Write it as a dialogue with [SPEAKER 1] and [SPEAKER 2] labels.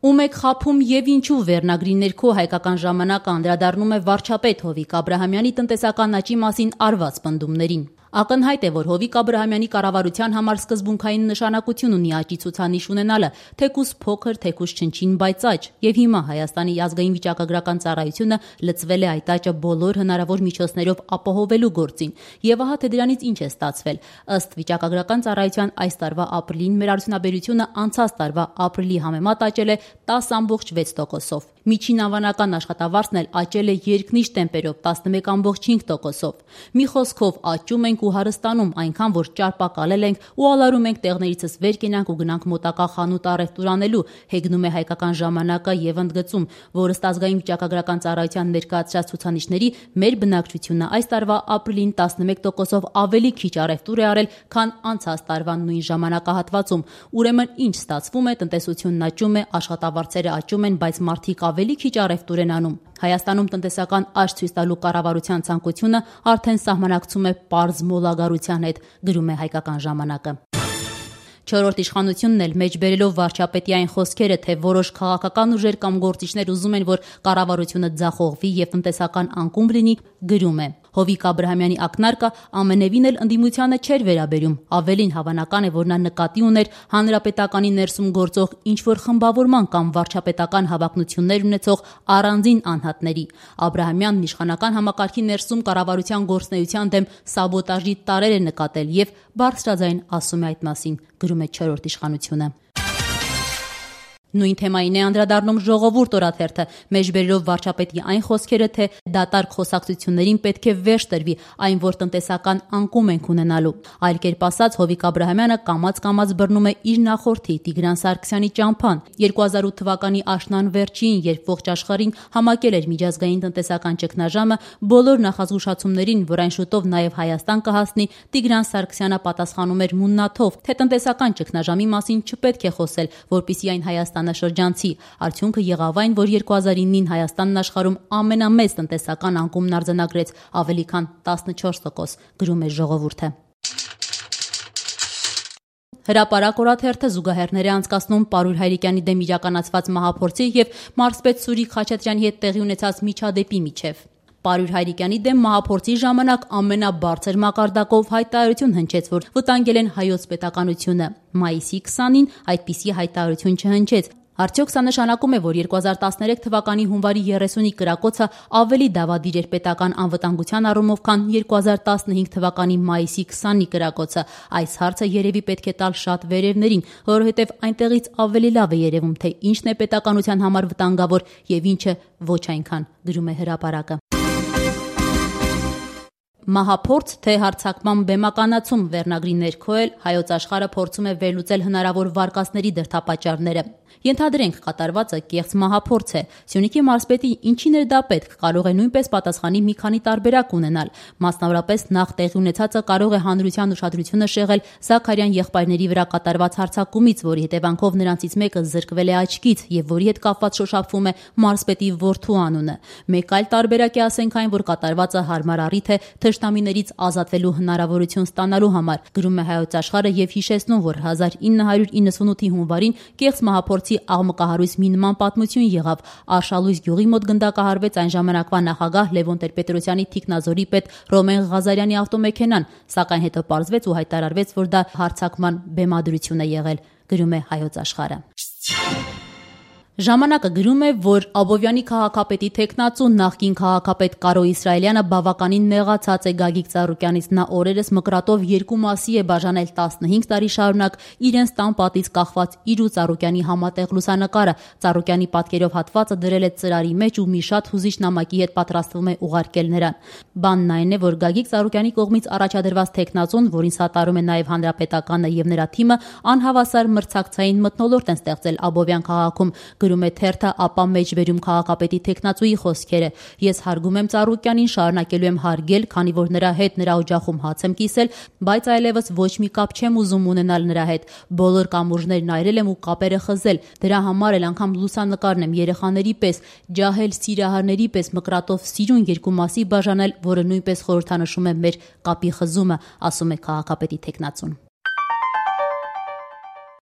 [SPEAKER 1] Ում եք խաբում եւ ինչու վերնագրի ներքո հայկական ժամանակը անդրադառնում է վարչապետ Հովիկ Աբրահամյանի տնտեսական աճի մասին արված պնդումներին։ Ակնհայտ է, որ Հովիկ Աբրահամյանի կառավարության համար սկզբունքային նշանակություն ունի աճի ցուցանիշ ունենալը, թեկուզ փոքր, թեկուզ չնչին, բայց աճ, եւ հիմա Հայաստանի ազգային վիճակագրական ծառայությունը լծվել է այդ աճը բոլոր հնարավոր միջոցներով ապահովելու գործին։ Եվ ահա թե դրանից ինչ է ստացվել։ Ըստ վիճակագրական ծառայության այս տարվա ապրիլին մեր արդյունաբերությունը անցած տարվա ապրիլի համեմատ աճել է 10.6%-ով։ Միջին անվանական աշխատավարձն էլ աճել է երկնիշ տեմպերով 11.5%-ով։ Մի խոսքով աճում ենք ու հարստանում այնքան, որ ճարպակալել ենք ու ալարում ենք տեղներիցս վեր կենանք ու գնանք մոտակա խանութ առևտուր անելու, հեգնում է հայկական ժամանակը եւ ընդգծում, որ ըստ ազգային վիճակագրական ծառայության ներկայացրած ցուցանիշների մեր բնակչությունը այս տարվա ապրիլին 11%-ով ավելի քիչ առևտուր է արել, քան անցած տարվա նույն ժամանակահատվածում։ Ուրեմն ինչ ստացվում է, տնտեսությունն աճում է, աշխատավարձերը աճում են, բայց մարդիկ ավելի քիչ առևտուր են անում։ Հայաստանում տնտեսական աճ ցույց տալու կառավարության ցանկությունը արդեն սահմանակցում է պարզ մոլագարության հետ, գրում է հայկական ժամանակը։ Չորրորդ իշխանությունն էլ մեջբերելով վարչապետի այն խոսքերը, թե որոշ քաղաքական ուժեր կամ գործիչներ ուզում են, որ կառավարությունը ձախողվի եւ տնտեսական անկում լինի, գրում է. Հովիկ Աբրահամյանի ակնարկը ամենևին էլ ընդդիմությանը չէր վերաբերում, ավելին հավանական է, որ նա նկատի ուներ հանրապետականի ներսում գործող ինչ-որ խմբավորման կամ վարչապետական հավակնություններ ունեցող առանձին անհատների։ Աբրահամյանն իշխանական համակարգի ներսում կառավարության գործունեության դեմ սաբոտաժի տարրեր է նկատել եւ բարձրաձայն ասում է այդ մասին, գրում է Չորրորդ իշխանությունը։ Նույն թեմային է անդրադառնում Ժողովուրդ օրաթերթը, մեջբերելով վարչապետի այն խոսքերը, թե դատարկ խոսակցություններին պետք է վերջ տրվի, այն որ տնտեսական անկում ենք ունենալու։ Այլ կերպ ասած, Հովիկ Աբրահամյանը կամաց բռնում է իր նախորդի Տիգրան Սարգսյանի ճամփան։ 2008 թվականի աշնան վերջին, երբ ողջ աշխարհին համակել էր միջազգային տնտեսական ճգնաժամը, բոլոր նախազգուշացումներին, որ այն շուտով նաև Հայաստան կհասնի, Տիգրան Սարգսյանը պատասխանում էր մուննաթով, թե տնտեսական ճգնաժամի մասին չպետք է խոսել, որպեսզի այն Հայաստանը շրջանցի։ Արդյունքը եղավ այն, որ 2009-ին Հայաստանն աշխարհում ամենամեծ տնտեսական անկումն արձանագրեց, ավելի քան 14%, գրում է Ժողովուրդը։ Հրապարակ օրաթերթը զուգահեռներ է անցկացնում Պարույր Հայրիկյանի դեմ իրականացված մահափորձի եւ մարզպետ Սուրիկ Խաչատրյանի հետ տեղի ունեցած միջադեպի միջև։ Պարույր Հայրիկյանի դեմ մահափորձի ժամանակ ամենաբարձր մակարդակով հայտարարություն հնչեց, որ վտանգել են հայոց պետականությունը։ Մայիսի 20-ին այդպիսի հայտարարություն չհնչեց։ Արդյոք սա նշանակում է, որ 2013 թվականի հունվարի 30-ի կրակոցը ավելի դավադիր էր պետական անվտանգության առումով, քան 2015 թվականի մայիսի 20-ի կրակոցը։ Այս հարցը երևի պետք է տալ շատ վերևներին, որովհետև այնտեղից ավելի լավ է երևում, թե ինչն է պետականության համար վտանգավոր եւ ինչը ոչ այնքան, գրում է Հրապարակը։ Մահափորձ թե հարձակման բեմականացում վերնագրի ներքո էլ Հայոց աշխարհը փորձում է վերլուծել հնարավոր վարկածների դրդապատճառները։ Ենթադրենք կատարվածը կեղծ մահափորձ է։ Սյունիքի մարզպետի ինչին էր դա պետք, կարող է նույնպես պատասխանի մի քանի տարբերակ ունենալ։ Մասնավորապես նախ տեղի ունեցածը կարող է հանրության ուշադրությունը շեղել Զաքարյան եղբայրների վրա կատարված հարձակումից, որի հետևանքով նրանցից մեկը զրկվել է աչքից եւ որի հետ կապված շոշափվում է մարզպետի որդու անունը։ Մեկ այլ տարբերակ է, ասենք այն, որ կատարվածը հարմար առիթ է թշնամիներից ազատվելու հնարավորություն ստանալու համար, գրում է Հայոց աշխարհը եւ հիշեցնում, որ 1998-ի հունվարին կեղծ մահափորձի աղմկահարույց մի նման պատմություն եղավ։ Արշալույս գյուղի մոտ գնդակահարվեց այն ժամանակվա նախագահ Լևոն Տեր-Պետրոսյանի թիկնազորի պետ Ռոմեն Ղազարյանի ավտոմեքենան, սակայն հետո պարզվեց ու հայտարարվեց, որ դա հարձակման բեմադրություն է եղել, գրում է Հայոց աշխարհը։ Ժամանակը գրում է, որ Աբովյանի քաղաքապետի թեկնածու նախկին քաղաքապետ Կարո Իսրայելյանը բավականին նեղացած է Գագիկ Ծառուկյանից։ Նա օրերս մկրատով երկու մասի է բաժանել 15 տարի շարունակ իրենց տան պատից կախված իր ու Ծառուկյանի համատեղ լուսանկարը։ Ծառուկյանի պատկերով հատվածը դրել է ծրարի մեջ ու մի շատ հուզիչ նամակի հետ պատրաստվում է ուղարկել նրան։ Բանն այն է, որ Գագիկ Ծառուկյանի կողմից առաջադրված թեկնածուն, որին սատարում է նաև Հանրապետականը եւ նրա թիմը, անհավասար մրցակցային մթնոլորտ են ստեղծել Աբովյան քաղաքում, գրում է թերթը, ապա մեջբերում քաղաքապետի թեկնածուի խոսքերը։ Ես հարգում եմ Ծառուկյանին, շարունակելու եմ հարգել, քանի որ նրա հետ նրա օջախում հաց եմ կիսել, բայց այլևս ոչ մի կապ չեմ ուզում ունենալ նրա հետ։ Բոլոր կամուրջներն այրել եմ ու կապերը խզել։ Դրա համար էլ անգամ լուսանկարն եմ երեխաների պես, ջահել սիրահարների պես մկրատով սիրուն երկու մասի բաժանել, որը նույնպես խորհրդանշում է մեր կապի խզումը, ասում է քաղաքապետի թեկնածուն։